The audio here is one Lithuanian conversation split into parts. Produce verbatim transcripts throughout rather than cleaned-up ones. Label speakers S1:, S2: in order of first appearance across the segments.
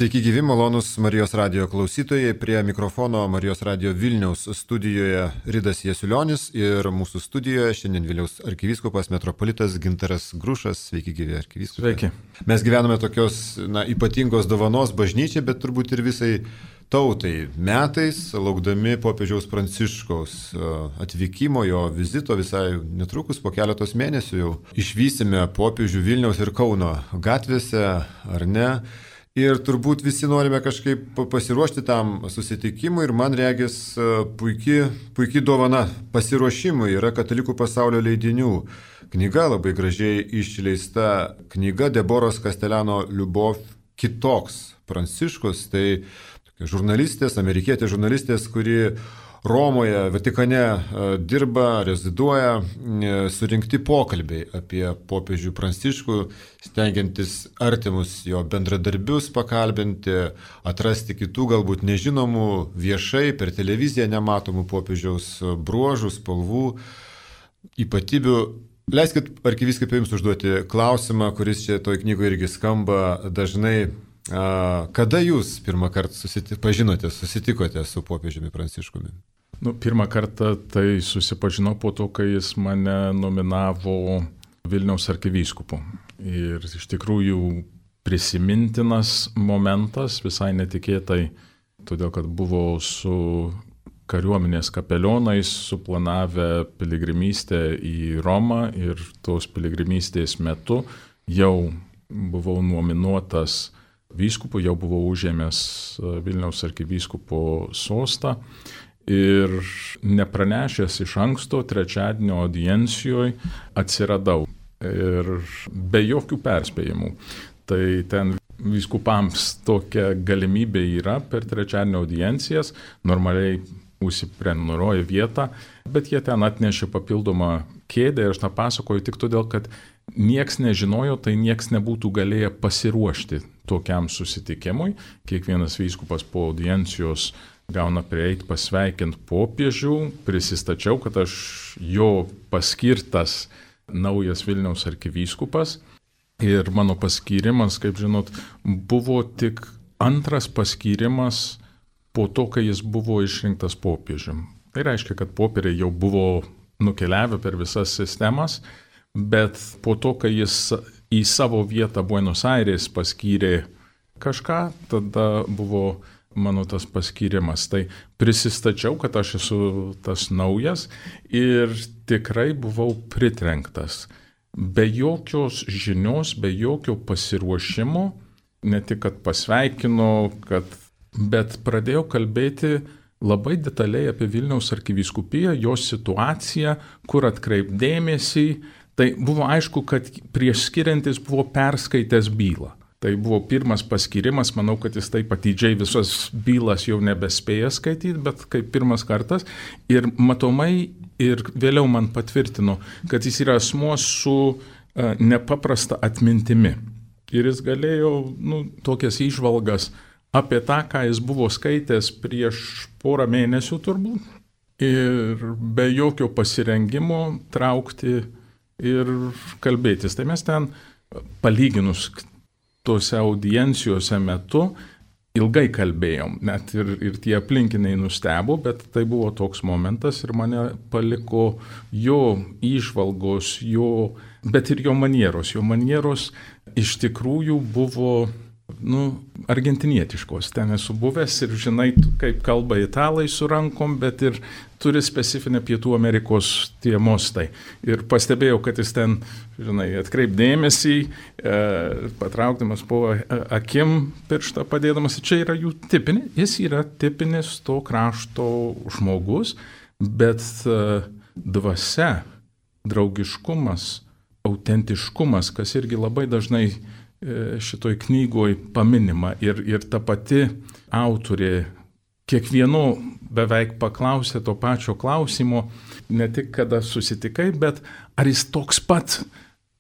S1: Sveiki gyvi, malonus Marijos radijo klausytojai. Prie mikrofono Marijos radijo Vilniaus studijoje Ridas Jasiulionis ir mūsų studijoje šiandien Vilniaus arkivyskupas metropolitas Gintaras Grušas. Sveiki gyvi, arkivyskupai.
S2: Sveiki.
S1: Mes gyvename tokios na, ypatingos dovanos bažnyčiai, bet turbūt ir visai tautai metais, laukdami popiežiaus Pranciškaus atvykimo, jo vizito visai netrukus po keletos mėnesių jau išvysime popiežių Vilniaus ir Kauno gatvėse, ar ne? Ir turbūt visi norime kažkaip pasiruošti tam susitikimui ir man regis puikiai puiki dovana pasiruošimui yra Katalikų pasaulio leidinių knyga, labai gražiai išleista knyga Deboros Kastelano Liubov Kitoks Pranciškus. Tai žurnalistės, amerikietė žurnalistės, kuri Romoje, Vatikane dirba, reziduoja, surinkti pokalbiai apie popiežių Pranciškų, stengiantis artimus jo bendradarbius pakalbinti, atrasti kitų galbūt nežinomų viešai per televiziją nematomų popiežiaus bruožų, spalvų, ypatybių. Leiskit, arkivyskupai, jums užduoti klausimą, kuris čia toj knygoje irgi skamba dažnai. Kada jūs pirmą kartą susipažinote, susitikote su popiežiumi Pranciškumi?
S2: Nu, pirmą kartą tai susipažinau po to, kai jis mane nominavo Vilniaus arkivyskupu. Ir iš tikrųjų prisimintinas momentas, visai netikėtai, todėl kad buvo su kariuomenės kapelionais suplanavę piligrimystę į Romą ir tos piligrimystės metu jau buvau nominuotas vyskupu, jau buvau užėmęs Vilniaus arkivyskupo sostą ir nepranešęs iš anksto trečiadienio audiencijoje atsiradau ir be jokių perspėjimų. Tai ten vyskupams tokia galimybė yra per trečiadienio audiencijas, normaliai užsiprenumeruoja vietą, bet jie ten atnešė papildomą kėdę ir aš tą pasakoju tik todėl, kad nieks nežinojo, tai nieks nebūtų galėję pasiruošti tokiam susitikimui. Kiekvienas vyskupas po audiencijos gauna prieiti pasveikinti popiežių, prisistačiau, kad aš jo paskirtas naujas Vilniaus arkivyskupas ir mano paskyrimas, kaip žinot, buvo tik antras paskyrimas po to, kai jis buvo išrinktas popiežium. Tai reiškia, kad popieriai jau buvo nukeliavę per visas sistemas, bet po to, kai jis į savo vietą Buenos Aires paskyrė kažką, tada buvo mano tas paskyrimas. Tai prisistačiau, kad aš esu tas naujas ir tikrai buvau pritrenktas. Be jokios žinios, be jokio pasiruošimo, ne tik kad pasveikino, kad, bet pradėjau kalbėti labai detaliai apie Vilniaus arkivyskupiją, jos situaciją, kur atkreipdėmėsi. Tai buvo aišku, kad prieš skiriantis buvo perskaitęs bylą. Tai buvo pirmas paskyrimas, manau, kad jis taip atidžiai visas bylas jau nebespėja skaityti, bet kaip pirmas kartas. Ir matomai ir vėliau man patvirtino, kad jis yra asmuo su uh, nepaprasta atmintimi. Ir jis galėjo nu, tokias įžvalgas apie tą, ką jis buvo skaitęs prieš porą mėnesių turbūt. Ir be jokio pasirengimo traukti ir kalbėtis. Tai mes ten palyginus tose audiencijose metu ilgai kalbėjom, net ir, ir tie aplinkiniai nustebo, bet tai buvo toks momentas ir mane paliko jo įžvalgos, jo, bet ir jo manieros. Jo manieros iš tikrųjų buvo nu, argentinietiškos. Ten esu buvęs ir žinai, kaip kalba italai su rankom, bet ir turi specifinę Pietų Amerikos tie mostai. Ir pastebėjau, kad jis ten, žinai, atkreipdėmėsi, e, patraukdamas po akim pirštą padėdamas. Čia yra jų tipinė, jis yra tipinis to krašto žmogus, bet e, dvasia, draugiškumas, autentiškumas, kas irgi labai dažnai šitoj knygoj paminima ir, ir ta pati autorė kiekvieno beveik paklausė to pačio klausimo, ne tik kada susitikai, bet ar jis toks pat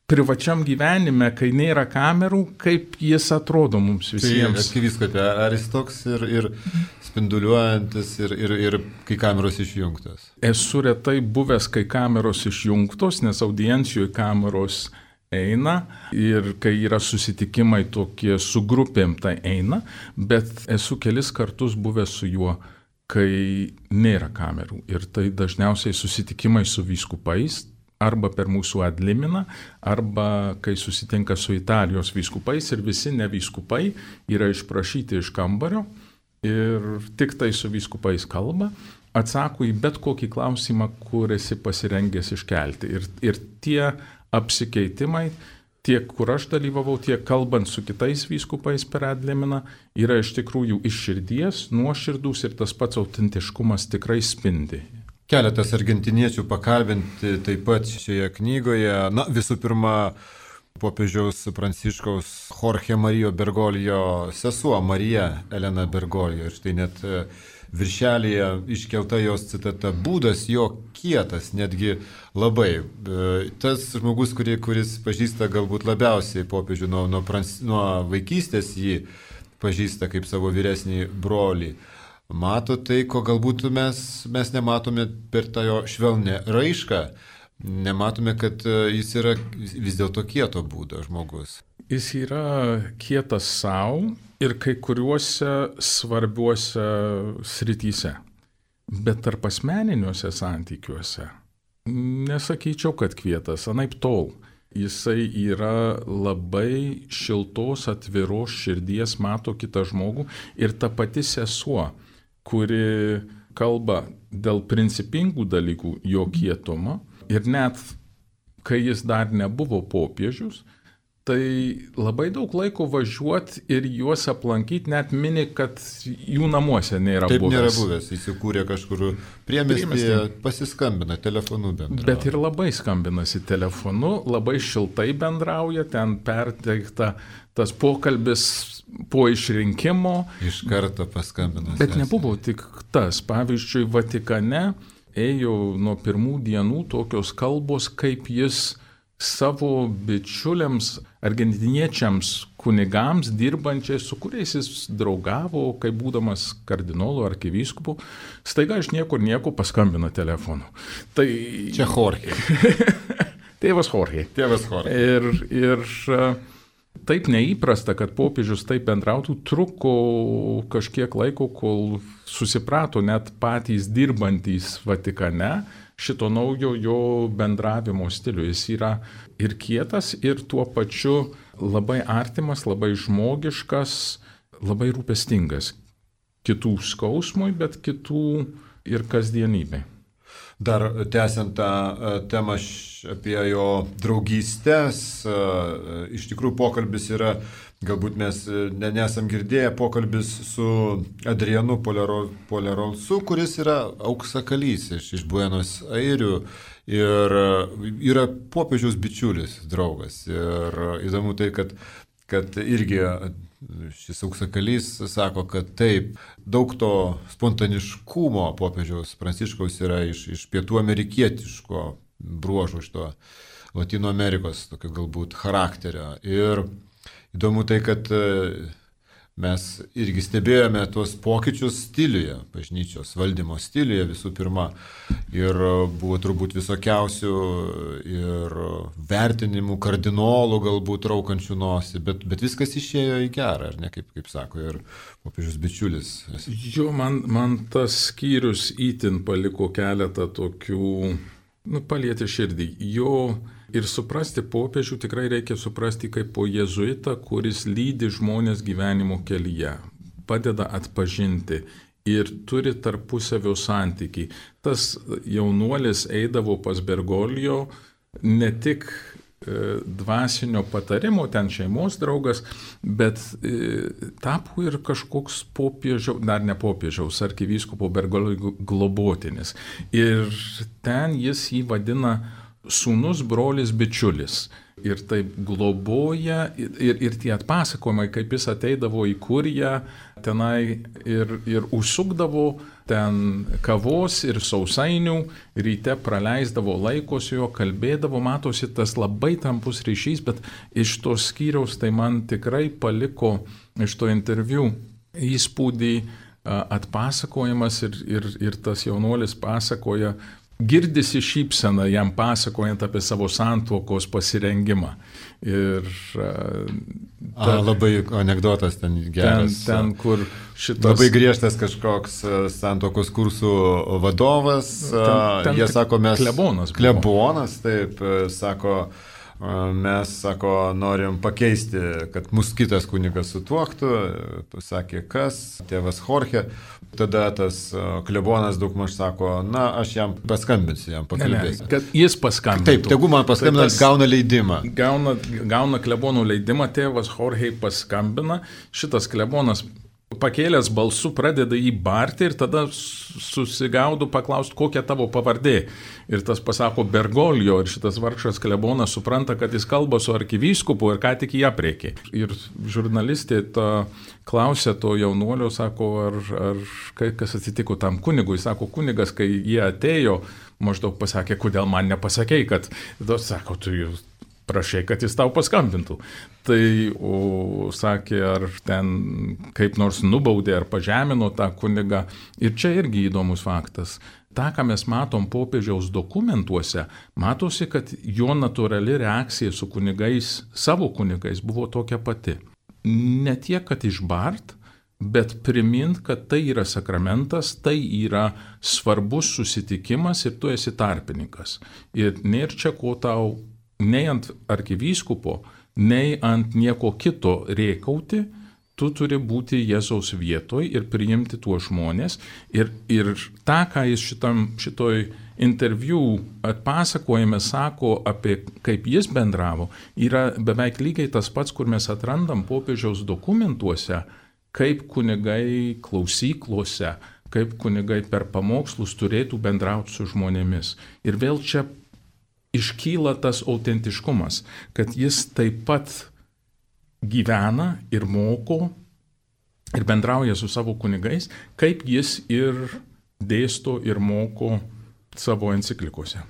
S2: privačiam gyvenime, kai nėra kamerų, kaip jis atrodo mums visiems.
S1: Tai, arkivyskupe, ar jis toks ir, ir spinduliuojantis ir, ir, ir kai kameros išjungtos?
S2: Esu retai buvęs, kai kameros išjungtos, nes audiencijoje kameros eina ir kai yra susitikimai tokie su grupėm, tai eina, bet esu kelis kartus buvęs su juo, kai nėra kamerų. Ir tai dažniausiai susitikimai su vyskupais, arba per mūsų adliminą, arba kai susitinka su Italijos vyskupais ir visi nevyskupai yra išprašyti iš kambario ir tik tai su vyskupais kalba, atsako į bet kokį klausimą, kur esi pasirengęs iškelti. Ir, ir tie apsikeitimai, tiek kur aš dalyvavau, tiek kalbant su kitais vyskupais per adliminą, yra iš tikrųjų iš širdies, nuoširdus ir tas pats autentiškumas tikrai spindi.
S1: Keletas argentiniečių pakalbinti taip pat šioje knygoje. Na, visų pirma, popiežiaus Pranciškaus Jorge Marijo Bergoglio sesuo Marija Elena Bergoglio. Ir štai net viršelėje iškelta jos citata: būdas jo kietas, netgi labai. Tas žmogus, kuris, kuris pažįsta galbūt labiausiai popiežių nuo, nuo, nuo vaikystės, jį pažįsta kaip savo vyresnį brolį. Mato tai, ko galbūt mes, mes nematome per tą jo švelnę raišką, nematome, kad jis yra vis dėlto kieto būdo žmogus.
S2: Jis yra kietas savo ir kai kuriuose svarbiuose srityse, bet tarp asmeniniuose santykiuose nesakyčiau, kad kietas, anaip tol. Jisai yra labai šiltos, atviros širdies, mato kitą žmogų ir ta pati sesuo, kuri kalba dėl principingų dalykų jo kietumo ir net kai jis dar nebuvo popiežius, tai labai daug laiko važiuoti ir juos aplankyti, net mini, kad jų namuose nėra
S1: Taip
S2: buvęs.
S1: Taip nėra buvęs, įsikūrė kažkur priemiestyje, pasiskambina, telefonu bendrauja.
S2: Bet ir labai skambinasi telefonu, labai šiltai bendrauja, ten perteikta tas pokalbis po išrinkimo.
S1: Iš karto paskambina.
S2: Bet nebuvo tik tas. Pavyzdžiui, Vatikane ėjo nuo pirmų dienų tokios kalbos, kaip jis savo bičiuliams, argentiniečiams kunigams, dirbančiais, su kuriais jis draugavo, kaip būdamas kardinolu ar arkivyskupu, staiga iš niekur nieko paskambina telefonu. Tai...
S1: Čia Jorge.
S2: Tėvas Jorge.
S1: Tėvas Jorge.
S2: Ir, ir taip neįprasta, kad popiežius taip bendrautų, truko kažkiek laiko, kol susiprato net patys dirbantys Vatikane šito naujo jo bendravimo stilių. Jis yra ir kietas, ir tuo pačiu labai artimas, labai žmogiškas, labai rūpestingas. Kitų skausmui, bet kitų ir kasdienybei.
S1: Dar tęsiant tą temą apie jo draugystės, iš tikrųjų pokalbis yra, galbūt mes nesam girdėję, pokalbis su Adrianu Polerolsu, kuris yra auksakalys iš, iš Buenos Airių ir yra popiežiaus bičiulis, draugas. Ir įdomu tai, kad, kad irgi šis auksakalys sako, kad taip, daug to spontaniškumo popiežiaus Pranciškaus yra iš, iš pietų amerikietiško bruožų, iš to Latino Amerikos tokio galbūt charakterio. Ir įdomu tai, kad mes irgi stebėjome tuos pokyčius stiliuje, bažnyčios valdymo stiliuje visų pirma. Ir buvo turbūt visokiausių ir vertinimų, kardinolų galbūt raukančių nosį, bet, bet viskas išėjo į gerą, ar ne, kaip, kaip sako ir popiežius bičiulis.
S2: Jo, man, man tas skyrius įtin paliko keletą tokių, nu, palietė širdį. Jo ir suprasti popiežių tikrai reikia suprasti kaip po jėzuitą, kuris lydi žmonės gyvenimo kelyje, padeda atpažinti ir turi tarpusavio santykį. Tas jaunuolis eidavo pas Bergoglio ne tik e, dvasinio patarimo, ten šeimos draugas, bet e, tapo ir kažkoks popiežiaus, dar ne popiežiaus, arkivyskupo Bergoglio globotinis. Ir ten jis jį vadina sūnus, brolis, bičiulis. Ir taip globoja, ir, ir tie atpasakojimai, kaip jis ateidavo į kuriją, tenai ir, ir užsukdavo ten kavos ir sausainių, ryte praleisdavo laiko su juo, kalbėdavo, matosi tas labai tampus ryšys, bet iš to skyriaus tai man tikrai paliko iš to interviu įspūdį atpasakojimas ir, ir, ir tas jaunuolis pasakoja, girdisi šypsena jam pasakojant apie savo santuokos pasirengimą. Ir
S1: ta, A, labai anekdotas ten geras.
S2: Ten, ten kur šitas...
S1: Labai griežtas kažkoks santuokos kursų vadovas. Ten, ten Jie sako, mes...
S2: Klebonas.
S1: Klebonas, taip, sako... Mes, sako, norim pakeisti, kad mus kitas kunigas sutuoktų, pasakė kas, tėvas Jorge, tada tas klebonas daugmaž sako, na, aš jam paskambinsiu, jam pakalbėsiu.
S2: Ne, ne, kad jis paskambintų.
S1: Taip, tegu man paskambina, tai gauna leidimą.
S2: Gauna, gauna klebonų leidimą, tėvas Jorge paskambina, šitas klebonas pakėlęs balsu pradeda jį barti ir tada susigaudo paklausti, kokia tavo pavardė. Ir tas pasako Bergoglio ir šitas vargšas klebonas supranta, kad jis kalba su arkivyskupu ir ką tik jį apriekė. Ir žurnalistė ta klausė to jaunuolio, sako, ar, ar kas atsitiko tam kunigui. Sako, kunigas, kai jie atėjo, maždaug pasakė, kodėl man nepasakei, kad, sako, tu jau prašai, kad jis tau paskambintų. Tai, o, sakė, ar ten kaip nors nubaudė ar pažemino tą kunigą. Ir čia irgi įdomus faktas. Ta, ką mes matom popiežiaus dokumentuose, matosi, kad jo natūrali reakcija su kunigais, savo kunigais buvo tokia pati. Ne tiek, kad išbart, bet primint, kad tai yra sakramentas, tai yra svarbus susitikimas ir tu esi tarpininkas. Ir nėra čia ko tau nei ant arkivyskupo, nei ant nieko kito rėkauti, tu turi būti Jėzaus vietoj ir priimti tuos žmonės. Ir, ir tą, ką jis šitam, šitoj interviu atpasakojime sako apie kaip jis bendravo, yra beveik lygiai tas pats, kur mes atrandam popiežiaus dokumentuose, kaip kunigai klausyklose, kaip kunigai per pamokslus turėtų bendrauti su žmonėmis. Ir vėl čia iškyla tas autentiškumas, kad jis taip pat gyvena ir moko ir bendrauja su savo kunigais, kaip jis ir dėsto ir moko savo enciklikose.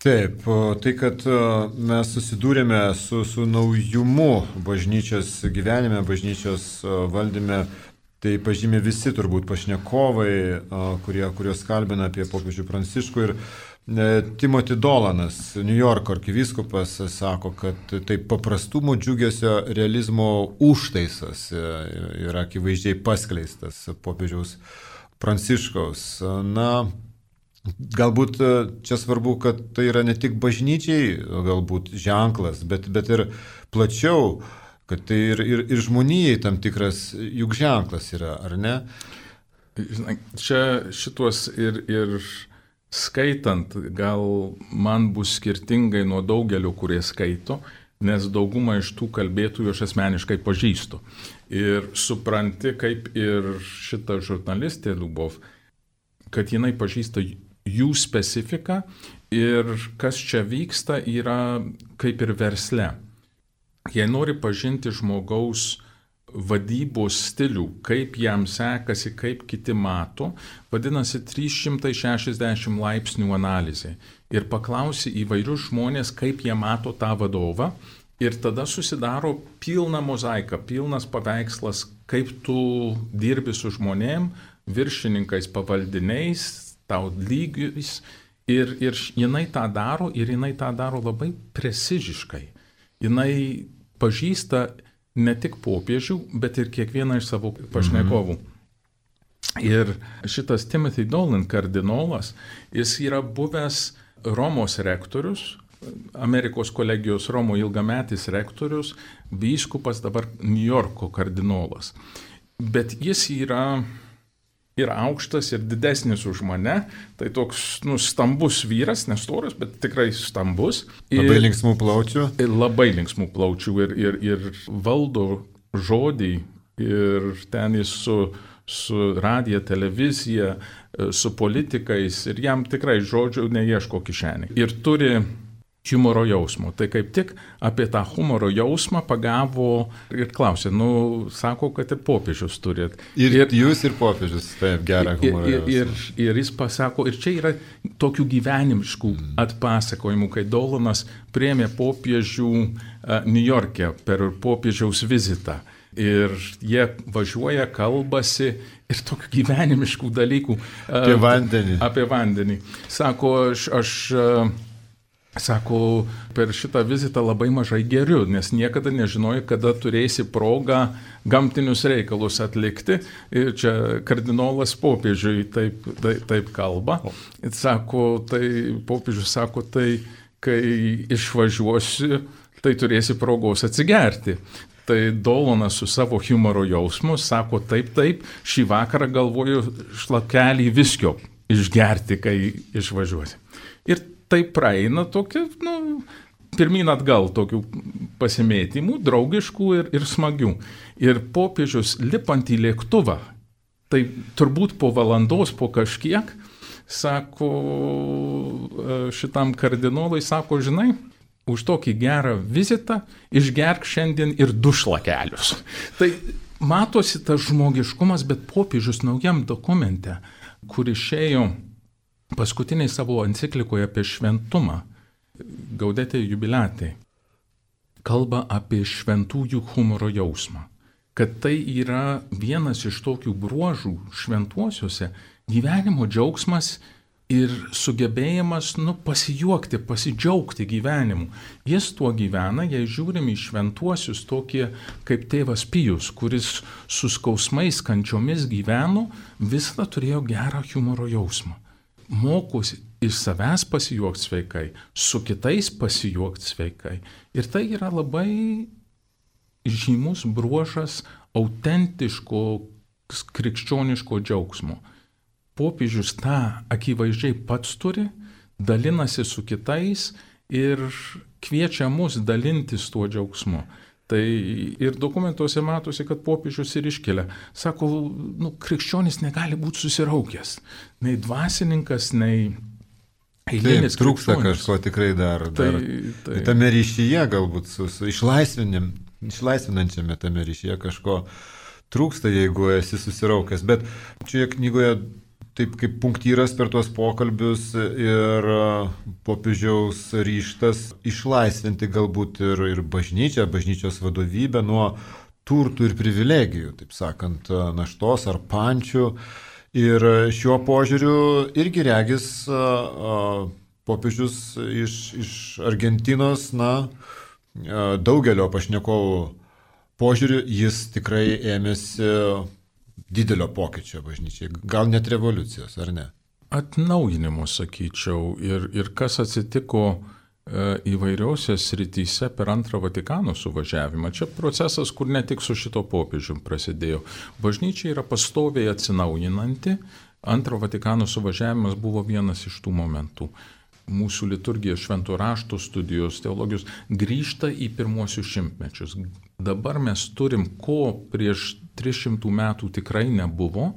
S1: Taip, tai kad mes susidūrėme su, su naujumu bažnyčios gyvenime, bažnyčios valdyme, tai pažymė visi turbūt pašnekovai, kurie, kurios kalbina apie popiežių Pranciškų. Ir Timothy Dolanas, New Yorko arkivyskupas, sako, kad tai paprastumo džiugesio realizmo užtaisas yra akivaizdžiai paskleistas popiežiaus Pranciškaus. Na, galbūt čia svarbu, kad tai yra ne tik bažnyčiai galbūt ženklas, bet, bet ir plačiau, kad tai ir, ir, ir žmonijai tam tikras juk ženklas yra, ar ne?
S2: Čia šitos ir... ir... skaitant, gal man bus skirtingai nuo daugelio, kurie skaito, nes daugumą iš tų kalbėtojų aš asmeniškai pažįstu. Ir supranti, kaip ir šita žurnalistė Liubov, kad jinai pažįsta jų specifiką ir kas čia vyksta yra kaip ir versle. Jei nori pažinti žmogaus vadybos stilių, kaip jam sekasi, kaip kiti mato, vadinasi trys šimtai šešiasdešimt laipsnių analizė. Ir paklausi įvairius žmonės, kaip jie mato tą vadovą, ir tada susidaro pilna mozaika, pilnas paveikslas, kaip tu dirbi su žmonėm, viršininkais, pavaldiniais, tau lygiais, ir, ir jinai tą daro, ir jinai tą daro labai preciziškai. Jinai pažįsta ne tik popiežių, bet ir kiekvieną iš savo pašnekovų. Mhm. Ir šitas Timothy Dolan kardinolas, jis yra buvęs Romos rektorius, Amerikos kolegijos Romo ilgametis rektorius, vyskupas, dabar New Yorko kardinolas. Bet jis yra ir aukštas, ir didesnis už mane, tai toks nu, stambus vyras, nestoras, bet tikrai stambus. Ir,
S1: labai linksmų plaučių.
S2: Ir labai linksmų plaučių ir, ir, ir valdo žodį, ir ten jis su, su radija, televizija, su politikais, ir jam tikrai žodžių neieško kišenį. Ir turi humoro jausmo. Tai kaip tik apie tą humoro jausmą pagavo ir klausė, nu, sako, kad ir popiežius turėt.
S1: Ir, ir jūs ir popiežius, taip, gerą humoro
S2: ir,
S1: jausmą.
S2: Ir, ir, ir jis pasako, ir čia yra tokių gyvenimiškų atpasakojimų, kai Dolanas priėmė popiežių uh, New York'e per popiežiaus vizitą. Ir jie važiuoja, kalbasi ir tokių gyvenimiškų dalykų.
S1: Apie vandenį.
S2: Apie vandenį. Sako, aš, aš sako, per šitą vizitą labai mažai geriu, nes niekada nežinojai, kada turėsi progą gamtinius reikalus atlikti. Ir čia kardinolas popiežiui taip, taip, taip kalba. Sako, tai popiežius sako, tai kai išvažiuosi, tai turėsi progos atsigerti. Tai Dolonas su savo humoro jausmu sako, taip, taip, šį vakarą galvoju šlakelį viskio išgerti, kai išvažiuosi. Ir tai praeina tokia, nu, pirmyn atgal tokių pasimėtimų, draugiškų ir, ir smagių. Ir popiežius lipant į lėktuvą, tai turbūt po valandos, po kažkiek, sako šitam kardinolui, sako, žinai, už tokį gerą vizitą išgerk šiandien ir du šlakelius. Tai matosi tas žmogiškumas, bet popiežius naujam dokumente, kur išėjo paskutiniai savo enciklikoje apie šventumą, Gaudete Jubilate, kalba apie šventųjų humoro jausmą. Kad tai yra vienas iš tokių bruožų šventuosiuose, gyvenimo džiaugsmas ir sugebėjimas, nu, pasijuokti, pasidžiaugti gyvenimu. Jis tuo gyvena, jei žiūrim į šventuosius tokie kaip tėvas Pijus, kuris su skausmais, kančiomis gyveno, visada turėjo gerą humoro jausmą. Mokosi iš savęs pasijuokti sveikai, su kitais pasijuokti sveikai. Ir tai yra labai žymus bruožas autentiško krikščioniško džiaugsmo. Popiežius tą akivaizdžiai pats turi, dalinasi su kitais ir kviečia mus dalintis tuo džiaugsmu. Tai ir dokumentuose matosi, kad popiežius ir iškelia. Sako, nu, krikščionis negali būti susiraukęs. Nei dvasininkas, nei eilinis krikščionis. Taip,
S1: trūksta kažko tikrai dar. dar. Tai, tai. Tame ryšyje galbūt, su, su išlaisvinančiame tame ryšyje kažko trūksta, jeigu esi susiraukęs. Bet čia knygoje taip kaip punktyras per tuos pokalbius ir popiežiaus ryžtas išlaisvinti galbūt ir, ir bažnyčią, bažnyčios vadovybę nuo turtų ir privilegijų, taip sakant, naštos ar pančių. Ir šiuo požiūriu irgi regis popiežius iš, iš Argentinos, na, daugelio pašnekovų požiūriu, jis tikrai ėmėsi didelio pokyčio bažnyčiai, gal net revoliucijos, ar ne?
S2: Atnaujinimo, sakyčiau, ir, ir kas atsitiko e, įvairiausiose srityse per antrą Vatikano suvažiavimą. Čia procesas, kur ne tik su šito popiežium prasidėjo. Bažnyčia yra pastoviai atsinaujinanti, antro Vatikano suvažiavimas buvo vienas iš tų momentų. Mūsų liturgija, švento rašto studijos, teologijos grįžta į pirmuosius šimtmečius. Dabar mes turim, ko prieš tris šimtus metų tikrai nebuvo,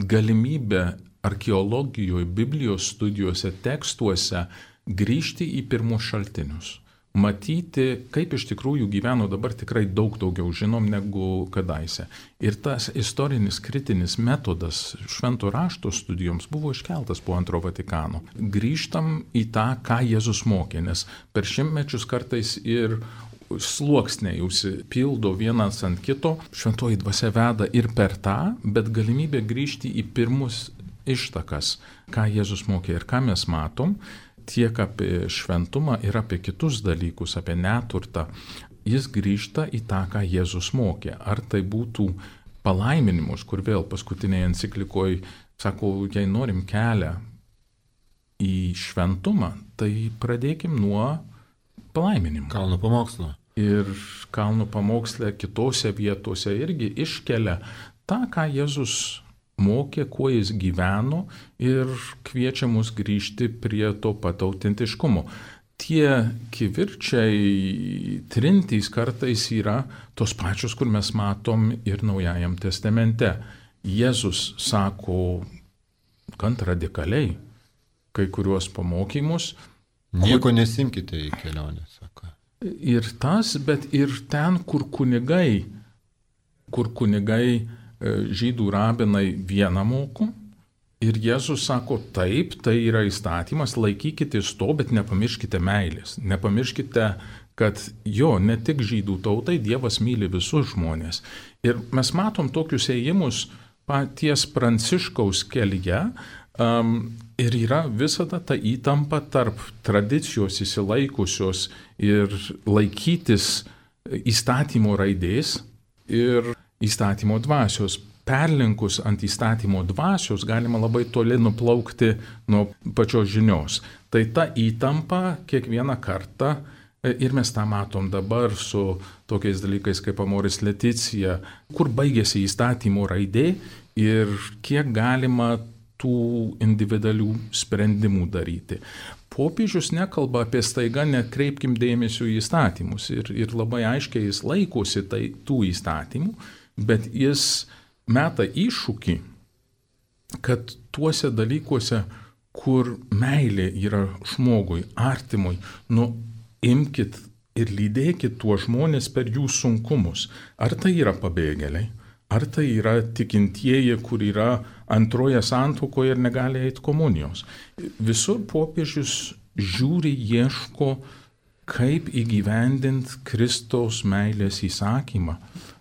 S2: galimybę archeologijoje, Biblijos studijose, tekstuose grįžti į pirmus šaltinius. Matyti, kaip iš tikrųjų gyveno, dabar tikrai daug daugiau žinom negu kadaise. Ir tas istorinis kritinis metodas švento rašto studijoms buvo iškeltas po antro Vatikano. Grįžtam į tą, ką Jėzus mokė, nes per šimtmečius kartais ir sluoksniai užsipildo vienas ant kito, šventoji dvasia veda ir per tą, bet galimybė grįžti į pirmus ištakas, ką Jėzus mokė ir ką mes matom, tiek apie šventumą ir apie kitus dalykus, apie neturtą, jis grįžta į tą, ką Jėzus mokė. Ar tai būtų palaiminimus, kur vėl paskutinėje enciklikoje sako, jei norim kelią į šventumą, tai pradėkim nuo palaiminimų.
S1: Kalno pamokslo.
S2: Ir kalno pamoksle kitose vietose irgi iškelia tą, ką Jėzus mokė, kuo jis gyveno ir kviečia mus grįžti prie to pat autentiškumo. Tie kivirčiai, trintys kartais yra tos pačios, kur mes matom ir Naujajam testamente. Jėzus sako gan radikaliai kai kuriuos pamokymus.
S1: Nieko nesimkite į kelionę, sako.
S2: Ir tas, bet ir ten, kur kunigai, kur kunigai žydų rabinai vieną moko, ir Jėzus sako, taip, tai yra įstatymas, laikykitės to, bet nepamirškite meilės, nepamirškite kad jo, ne tik žydų tautai, Dievas myli visus žmonės. Ir mes matom tokius ėjimus paties Pranciškaus kelyje, um, ir yra visada ta įtampa tarp tradicijos įsilaikusios ir laikytis įstatymo raidės ir įstatymo dvasios. Perlinkus ant įstatymo dvasios galima labai toli nuplaukti nuo pačios žinios. Tai ta įtampa kiekvieną kartą, ir mes tą matom dabar su tokiais dalykais kaip Amoris Laetitia, kur baigėsi įstatymo raidė ir kiek galima tų individualių sprendimų daryti. Popiežius nekalba apie staiga nekreipkim dėmesio į įstatymus ir, ir labai aiškiai jis laikosi tai, tų įstatymų, bet jis meta iššūkį, kad tuose dalykuose, kur meilė yra žmogui, artimui, nu imkit ir lydėkit tuos žmonės per jų sunkumus. Ar tai yra pabėgėliai, ar tai yra tikintieji, kur yra antroje santuokoje ir negali eiti komunijos. Visur popiežius žiūri, ieško, kaip įgyvendinti Kristaus meilės įsakymą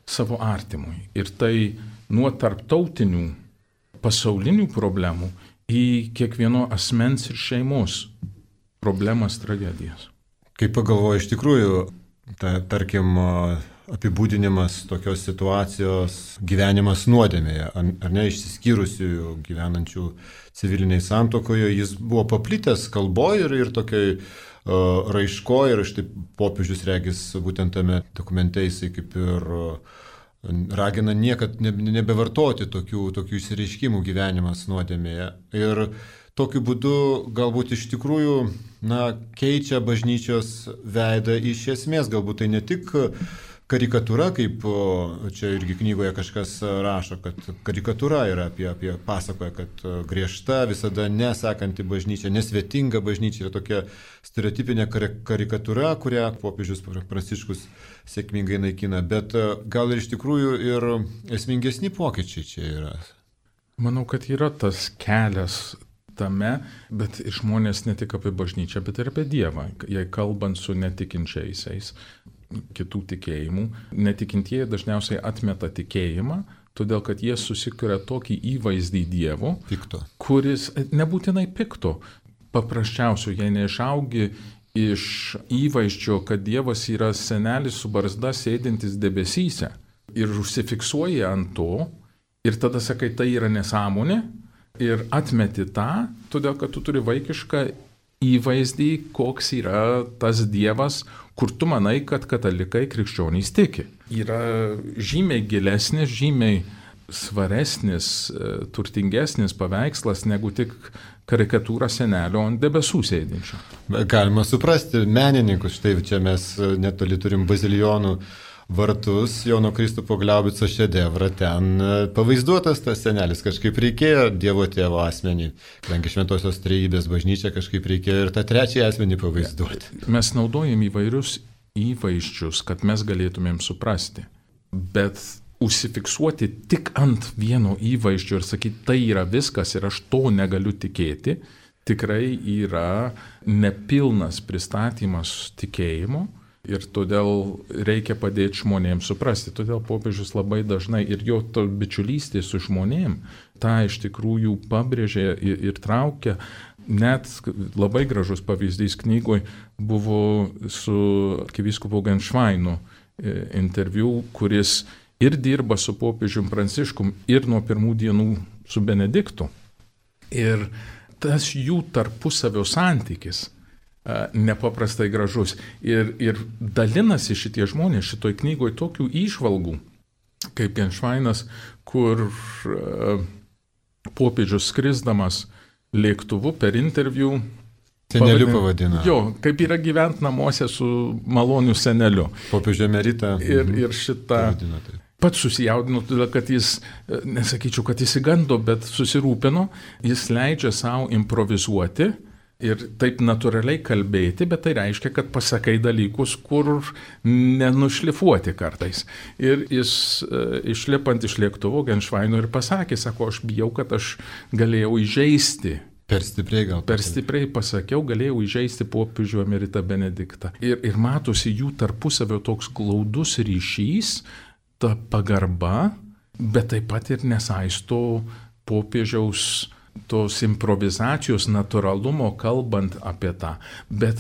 S2: savo artimui. Ir tai nuo tarptautinių pasaulinių problemų į kiekvieno asmens ir šeimos problemas, tragedijas.
S1: Kaip pagalvoju, iš tikrųjų, ta, tarkim, apibūdinimas tokios situacijos gyvenimas nuodėmėje, ar ne, išsiskyrusių gyvenančių civiliniai santuokoje, jis buvo paplitęs kalboje ir, ir tokiai uh, raiškoje, ir štai popiežius regis būtent tame dokumente jisai kaip ir uh, ragina niekad nebevartoti tokių, tokių išsireiškimų gyvenimas nuodėmėje. Ir tokiu būdu galbūt iš tikrųjų na, keičia bažnyčios veidą iš esmės. Galbūt tai ne tik karikatūra, kaip čia irgi knygoje kažkas rašo, kad karikatūra yra apie, apie pasakoja, kad griežta, visada nesekanti bažnyčia, nesvetinga bažnyčia yra tokia stereotipinė karikatūra, kurią popiežius Pranciškus sėkmingai naikina. Bet gal ir iš tikrųjų ir esmingesni pokyčiai čia yra.
S2: Manau, kad yra tas kelias tame, bet žmonės ne tik apie bažnyčią, bet ir apie Dievą. Jei kalbant su netikinčiaisiais, kitų tikėjimų, netikintieji dažniausiai atmeta tikėjimą, todėl kad jie susikuria tokį įvaizdį Dievo,
S1: pikto,
S2: kuris nebūtinai pikto, paprasčiausiai, jei neišaugi iš įvaizdžio, kad Dievas yra senelis su barzda sėdintis debesyse ir užsifiksuoji ant to ir tada sakai, tai yra nesąmonė ir atmeti tą, todėl kad tu turi vaikišką įvaizdį, koks yra tas Dievas, kur tu manai, kad katalikai krikščionys tiki. Yra žymiai gilesnis, žymiai svaresnis, turtingesnis paveikslas negu tik karikatūra senelio ant debesų sėdinčio.
S1: Galima suprasti menininkus, štai čia mes netoli turim bazilijonų vartus, Jono Kristupo Glaubico šedevrą, ten pavaizduotas tas senelis, kažkaip reikėjo Dievo tėvo asmenį, kadangi Šventosios Trejybės bažnyčia kažkaip reikėjo ir tą trečiąjį asmenį pavaizduoti.
S2: Mes naudojam įvairius įvaizdžius, kad mes galėtumėm suprasti, bet užsifiksuoti tik ant vieno įvaizdžio ir sakyti, tai yra viskas ir aš to negaliu tikėti, tikrai yra nepilnas pristatymas tikėjimo. Ir todėl reikia padėti žmonėms suprasti. Todėl popiežius labai dažnai ir jo to bičiulystė su žmonėm tą iš tikrųjų pabrėžė ir, ir traukia. Net labai gražus pavyzdys knygoje buvo su arkivyskupu Genšvainu interviu, kuris ir dirba su popiežium Pranciškum ir nuo pirmų dienų su Benediktu. Ir tas jų tarpusavio santykis nepaprastai gražus. Ir, ir dalinasi šitie žmonės šitoj knygoje tokių įžvalgų, kaip Genšvainas, kur uh, popiežius skrisdamas lėktuvu per interviu
S1: seneliu pavadina.
S2: Jo, kaip yra gyvent namuose su maloniu seneliu.
S1: Popiežių emeritą.
S2: Ir, ir šitą pats susijaudino, todėl kad jis, nesakyčiau, kad įsigando, bet susirūpino, jis leidžia savo improvizuoti ir taip natūraliai kalbėti, bet tai reiškia, kad pasakai dalykus, kur nenušlifuoti kartais. Ir jis išlipant iš lėktuvo Genšvaino ir pasakė, sako, aš bijau, kad aš galėjau įžeisti
S1: Per stipriai gal.
S2: Per stipriai pasakiau, galėjau įžeisti popiežių emeritą Benediktą. Ir, ir matosi jų tarpusavio toks glaudus ryšys, ta pagarba, bet taip pat ir nesaisto popiežiaus tos improvizacijos natūralumo kalbant apie tą. Bet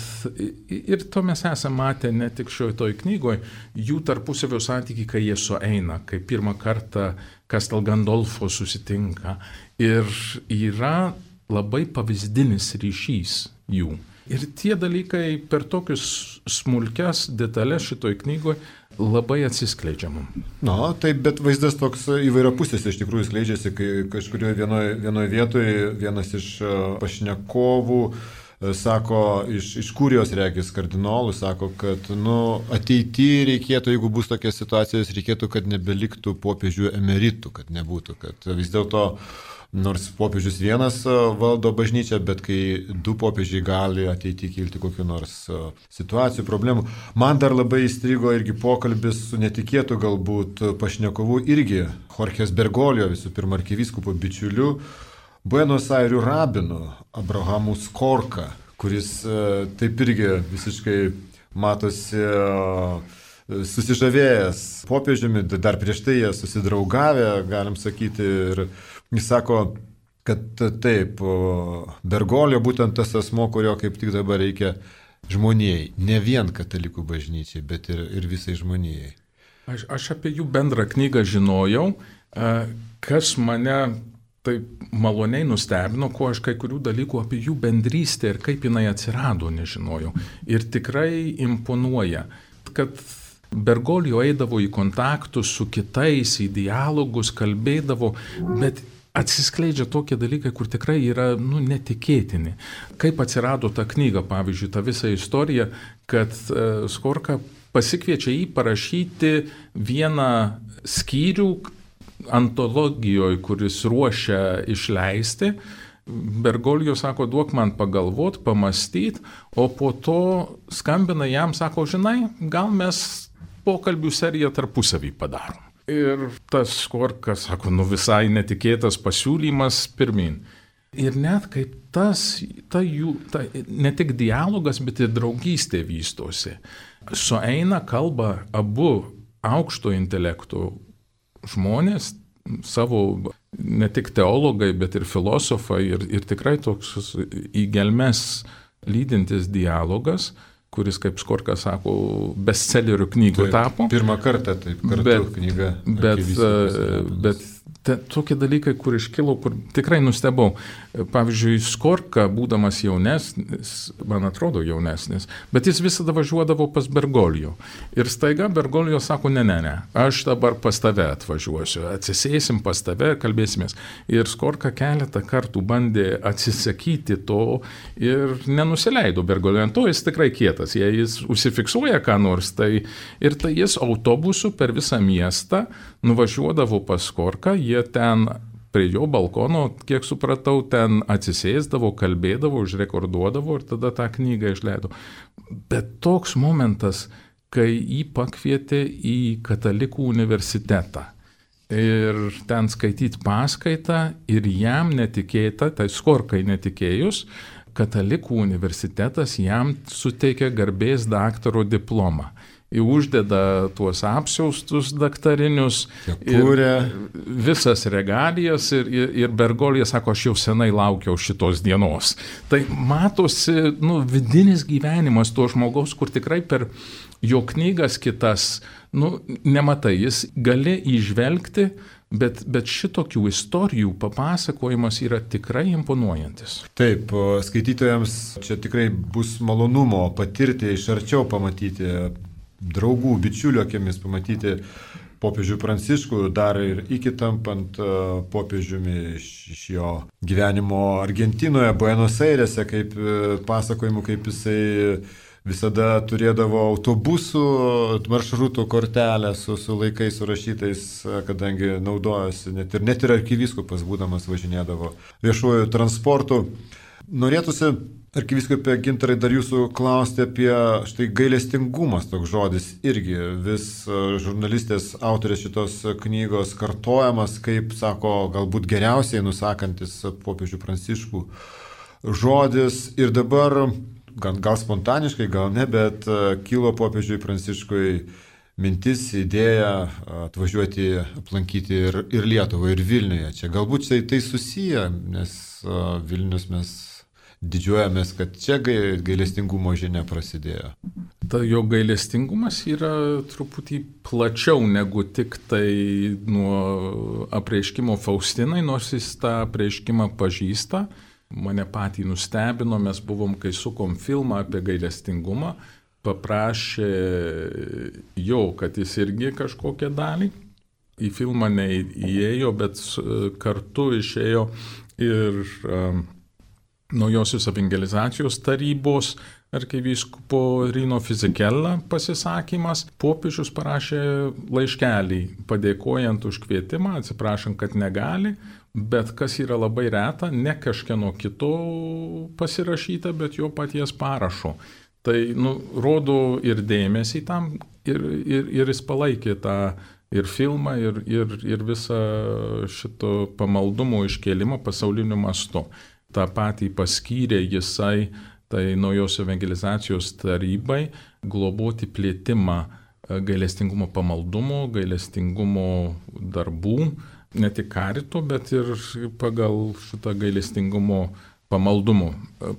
S2: ir to mes esame matę ne tik šioje toj knygoje, jų tarpusavio santykiai, kai jie sueina, kai pirmą kartą Castel Gandolfo susitinka. Ir yra labai pavyzdinis ryšys jų. Ir tie dalykai per tokius smulkias detalės šitoj knygoje labai atsiskleidžia mums.
S1: Na, taip, bet vaizdas toks įvairiapusės iš tikrųjų skleidžiasi, kai kažkurioje vienoje vienoje vietoje vienas iš pašnekovų sako, iš, iš Kurijos regis kardinolų, sako, kad nu, ateityje reikėtų, jeigu bus tokia situacija, reikėtų, kad nebeliktų popiežių emeritų, kad nebūtų, kad vis dėlto nors popiežius vienas valdo bažnyčią, bet kai du popiežiai gali ateityje kilti kokiu nors situacijų, problemų. Man dar labai įstrigo irgi pokalbis su netikėtu galbūt pašnekovu irgi Jorges Bergoglio, visų pirma arkivyskupo bičiuliu, Buenos Airių rabinu Abrahamu Skorka, kuris taip irgi visiškai matosi susižavėjęs popiežiumi, dar prieš tai jie susidraugavę, galim sakyti, ir jis sako, kad taip, Bergoglio būtent tas asmo, kurio kaip tik dabar reikia žmonijai, ne vien katalikų bažnyčiai, bet ir, ir visai žmonijai.
S2: Aš, aš apie jų bendrą knygą žinojau, kas mane taip maloniai nustebino, ko aš kai kurių dalykų apie jų bendrystę ir kaip jinai atsirado nežinojau. Ir tikrai imponuoja, kad Bergoglio eidavo į kontaktus su kitais, į dialogus, kalbėdavo, bet atsiskleidžia tokie dalykai, kur tikrai yra nu, netikėtini. Kaip atsirado ta knyga, pavyzdžiui, ta visa istorija, kad uh, Skorka pasikviečia jį parašyti vieną skyrių antologijoje, kuris ruošia išleisti. Bergoglio sako, duok man pagalvot, pamastyti, o po to skambina jam, sako, žinai, gal mes pokalbių seriją tarpusavį padarom. Ir tas Skorka sako, nu visai netikėtas pasiūlymas pirmin. Ir net kaip tas, ta jų, ta, ne tik dialogas, bet ir draugystė vystosi. Sueina kalba abu aukšto intelekto žmonės, savo ne tik teologai, bet ir filosofai, ir, ir tikrai toks į gelmes lydintis dialogas, kuris, kaip Skorka sako, bestsellerių knygų tapo.
S1: Pirmą kartą taip kartu bet, knyga.
S2: Bet, bet te, tokie dalykai, kur iškilo, kur tikrai nustebau. Pavyzdžiui, Skorka, būdamas jaunesnis, man atrodo jaunesnis, bet jis visada važiuodavo pas Bergoglio. Ir staiga Bergoglio sako, ne, ne, ne, aš dabar pas tave atvažiuosiu, atsisėsim pas tave, kalbėsimės. Ir Skorka keletą kartų bandė atsisakyti to ir nenusileido Bergoglio. To jis tikrai kietas. Jei jis užsifiksuoja ką nors, tai ir tai jis autobusu per visą miestą nuvažiuodavo pas Skorką, jie ten prie jo balkono, kiek supratau, ten atsisėsdavo, kalbėdavo, užrekorduodavo ir tada tą knygą išleido. Bet toks momentas, kai jį pakvietė į katalikų universitetą ir ten skaityti paskaitą ir jam netikėta, tai Skorkai netikėjus, katalikų universitetas jam suteikė garbės daktaro diplomą. Į uždeda tuos apsiaustus daktarinius, visas regalijas ir, ir, ir Bergoglio sako, aš jau senai laukiau šitos dienos. Tai matosi nu, vidinis gyvenimas to žmogaus, kur tikrai per jo knygas kitas, nu, nematai, jis gali įžvelgti, bet, bet šitokių istorijų papasakojimas yra tikrai imponuojantis.
S1: Taip, skaitytojams čia tikrai bus malonumo patirti, iš arčiau pamatyti draugų, bičiulių akimis, pamatyti popiežių Pranciškų, dar ir iki tampant uh, popiežiumi iš, iš jo gyvenimo Argentinoje, Buenos Airėse, kaip uh, pasakojimų, kaip jisai visada turėdavo autobusų maršrutų kortelę su, su laikais surašytais, kadangi naudojosi, net ir, net ir arkivyskupas būdamas važinėdavo viešuoju transportu. Norėtųsi, arkivyskupė Gintarai, dar jūsų klausti apie štai gailestingumas, toks žodis irgi vis žurnalistės autorės šitos knygos kartojamas, kaip, sako, galbūt geriausiai nusakantis popiežių Pranciškų žodis ir dabar, gal, gal spontaniškai, gal ne, bet kilo popiežiui Pranciškui mintis, idėja atvažiuoti, aplankyti ir, ir Lietuvą, ir Vilniuje. Čia galbūt tai, tai susiję, nes Vilnius mes didžiuojamės, kad čia gailestingumo žinia prasidėjo.
S2: Ta jo gailestingumas yra truputį plačiau negu tik tai nuo apreiškimo Faustinai, nors jis tą apreiškimą pažįsta. Mane patį nustebino, mes buvom, kai sukom filmą apie gailestingumą, paprašė jo, kad jis irgi kažkokią dalį. Į filmą neįėjo, bet kartu išėjo ir um, Naujosios evangelizacijos tarybos arkivyskupo Rino Fisichella pasisakymas. Popiežius parašė laiškelį, padėkojant už kvietimą, atsiprašant, kad negali, bet kas yra labai reta, ne kažkieno kito pasirašyta, bet jo paties parašo. Tai nu, rodo ir dėmesį tam, ir, ir, ir jis palaikė tą ir filmą, ir, ir, ir visą šito pamaldumo iškėlimą pasauliniu mastu. Ta patį paskyrė jisai, tai Naujos evangelizacijos tarybai, globoti plėtimą gailestingumo pamaldumo, gailestingumo darbų, ne tik karito, bet ir pagal šitą gailestingumo pamaldumo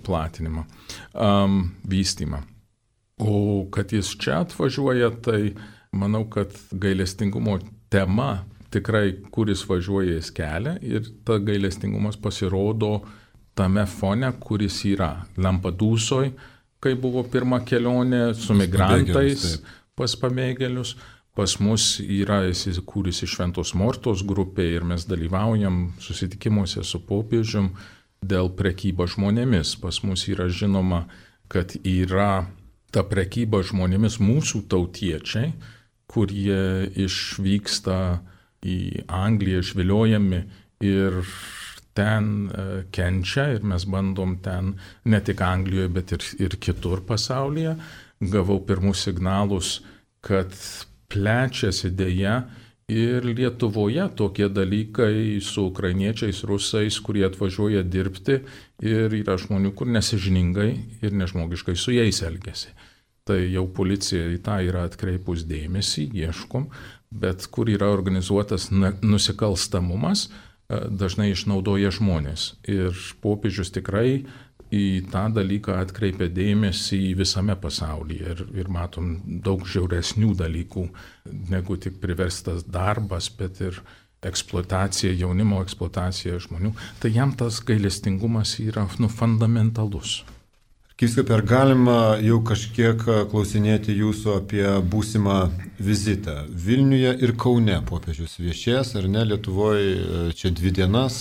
S2: platinimą, um, vystymą. O kad jis čia atvažiuoja, tai manau, kad gailestingumo tema tikrai, kuris važiuoja, jis kelia ir ta gailestingumas pasirodo tame fone, kuris yra Lampadūsoj, kai buvo pirma kelionė su migrantais pas pabėgėlius. Pas mus yra įsikūrusi Šventos Mortos grupė ir mes dalyvaujam susitikimuose su popiežium dėl prekybos žmonėmis. Pas mus yra žinoma, kad yra ta prekyba žmonėmis mūsų tautiečiai, kurie išvyksta į Angliją išviliojami ir ten kenčia ir mes bandom ten ne tik Anglijoje, bet ir, ir kitur pasaulyje. Gavau pirmus signalus, kad plečiasi dėja ir Lietuvoje tokie dalykai su ukrainiečiais, rusais, kurie atvažiuoja dirbti ir yra žmonių, kur nesižiningai ir nežmogiškai su jais elgiasi. Tai jau policija į tą yra atkreipus dėmesį, ieškom, bet kur yra organizuotas nusikalstamumas, dažnai išnaudoja žmonės. Ir popiežius tikrai į tą dalyką atkreipia dėmesį visame pasaulyje. Ir, ir matom daug žiauresnių dalykų, negu tik priverstas darbas, bet ir eksploatacija, jaunimo eksploatacija žmonių. Tai jam tas gailestingumas yra nu, fundamentalus.
S1: Arkivyskupe, ar galima jau kažkiek klausinėti jūsų apie būsimą vizitą? Vilniuje ir Kaune popiežius viešės, ar ne? Lietuvoje čia dvi dienas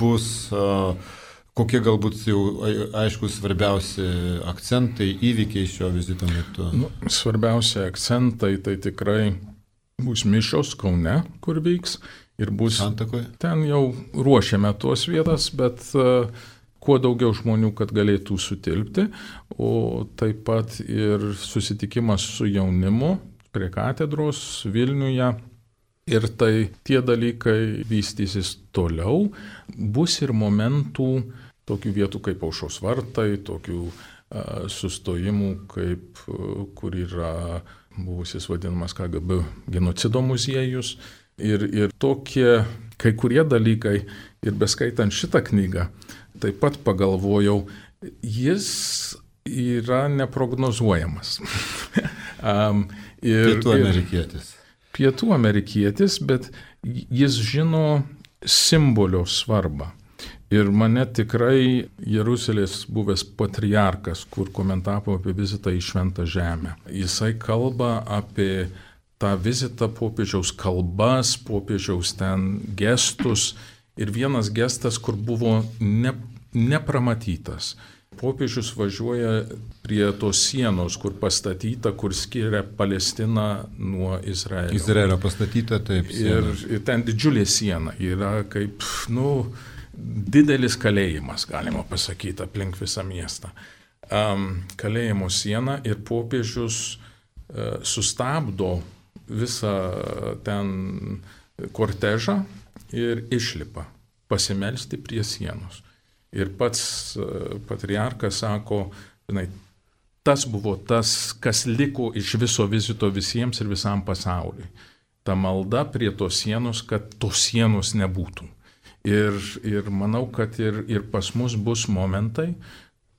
S1: bus. Kokie galbūt jau aiškus svarbiausi akcentai, įvykiai šio vizito metu?
S2: Nu, svarbiausi akcentai tai tikrai bus mišios Kaune, kur vyks. Ir bus
S1: Santakoje.
S2: Ten jau ruošiame tuos vietas, bet uh, kuo daugiau žmonių, kad galėtų sutilpti, o taip pat ir susitikimas su jaunimu prie katedros Vilniuje. Ir tai tie dalykai vystysis toliau. Bus ir momentų, tokių vietų kaip Aušros vartai, tokių uh, sustojimų, kaip, uh, kur yra buvusis vadinamas K G B genocido muziejus. Ir, ir tokie kai kurie dalykai, ir beskaitant šitą knygą, taip pat pagalvojau, jis yra neprognozuojamas. um, ir,
S1: pietų amerikietis.
S2: Ir, pietų amerikietis, bet jis žino simbolio svarbą. Ir mane tikrai Jeruzalės buvęs patriarkas, kur komentavo apie vizitą į Šventą Žemę. Jisai kalba apie tą vizitą, popiežiaus kalbas, popiežiaus ten gestus. Ir vienas gestas, kur buvo ne, nepramatytas. Popiežius važiuoja prie tos sienos, kur pastatyta, kur skiria Palestiną nuo Izraelio.
S1: Izraelio pastatyta, taip.
S2: Ir, ir ten didžiulė siena yra kaip, nu, didelis kalėjimas, galima pasakyti, aplink visą miestą. Um, kalėjimo siena ir popiežius uh, sustabdo visą ten kortežą ir išlipa pasimelsti prie sienos. Ir pats patriarkas sako, žinai, tas buvo tas, kas liko iš viso vizito visiems ir visam pasauliui. Ta malda prie tos sienos, kad tos sienos nebūtų. Ir, ir manau, kad ir, ir pas mus bus momentai,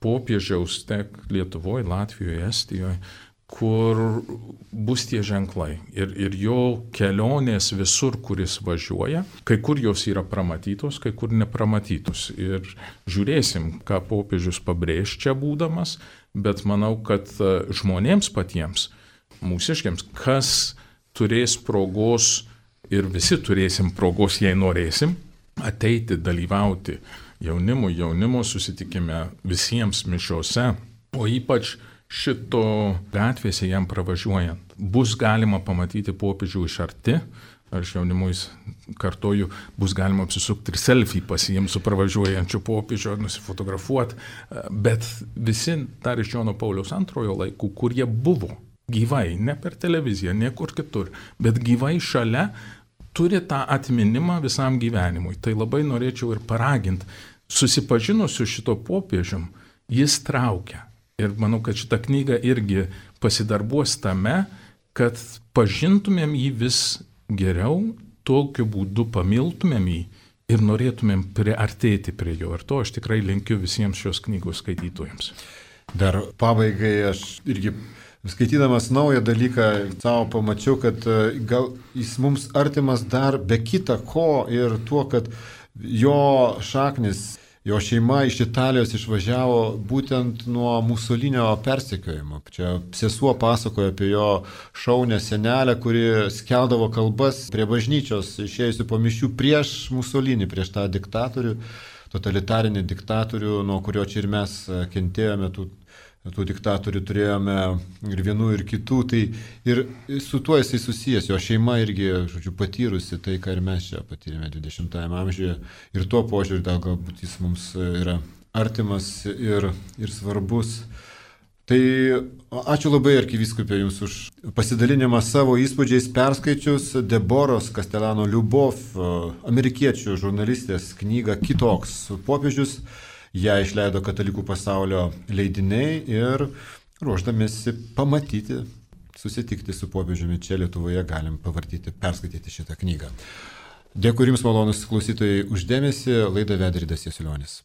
S2: popiežiaus tiek Lietuvoje, Latvijoje, Estijoje, kur bus tie ženklai. Ir, ir jo kelionės visur, kuris važiuoja, kai kur jos yra pramatytos, kai kur nepramatytos. Ir žiūrėsim, ką popiežius pabrėž čia būdamas, bet manau, kad žmonėms patiems, mūsiškiams, kas turės progos ir visi turėsim progos, jei norėsim, ateiti, dalyvauti jaunimui, jaunimo susitikime, visiems mišiose, o ypač šito gatvėse jam pravažiuojant. Bus galima pamatyti popiežių iš arti, aš jaunimui kartoju, bus galima apsisukti ir selfie pasiimti su pravažiuojančiu popiežiu ar nusifotografuoti, bet visi dar iš Jono Pauliaus antrojo laikų, kurie buvo gyvai, ne per televiziją, niekur kitur, bet gyvai šalia, turi tą atminimą visam gyvenimui. Tai labai norėčiau ir paraginti, susipažinusiu šito popiežium, jis traukia. Ir manau, kad šita knyga irgi pasidarbuos tame, kad pažintumėm jį vis geriau, tokiu būdu pamiltumėm jį ir norėtumėm priartėti prie jo. Ir to aš tikrai linkiu visiems šios knygos skaitytojams.
S1: Dar pabaigai aš irgi skaitydamas naują dalyką savo pamačiau, kad gal jis mums artimas dar be kita ko ir tuo, kad jo šaknis, jo šeima iš Italijos išvažiavo būtent nuo Musolinio persekiojimo. Čia sesuo pasakoja apie jo šaunę senelę, kuri skeldavo kalbas prie bažnyčios, išėjusių po mišių prieš Musolinį, prieš tą diktatorių, totalitarinį diktatorių, nuo kurio čia ir mes kentėjome tų tų diktatorių turėjome ir vienų, ir kitų, tai ir su tuo jisai susijęs, jo šeima irgi, žodžiu, patyrusi tai, ką ir mes čia patyrėme dvidešimtajame amžiuje, ir tuo požiūriu dar galbūt jis mums yra artimas ir, ir svarbus. Tai ačiū labai arkivyskupė Jums už pasidalinimą savo įspūdžiais perskaičius Deboros Castellano Liubov, amerikiečių žurnalistės knygą Kitoks popiežius. Ją išleido Katalikų pasaulio leidiniai ir ruošdamėsi pamatyti, susitikti su popiežiumi čia Lietuvoje galim pavartyti, perskaityti šitą knygą. Dėkui Jums, malonūs klausytojai, už dėmesį. Laidą vedė Ridas Jasiulionis.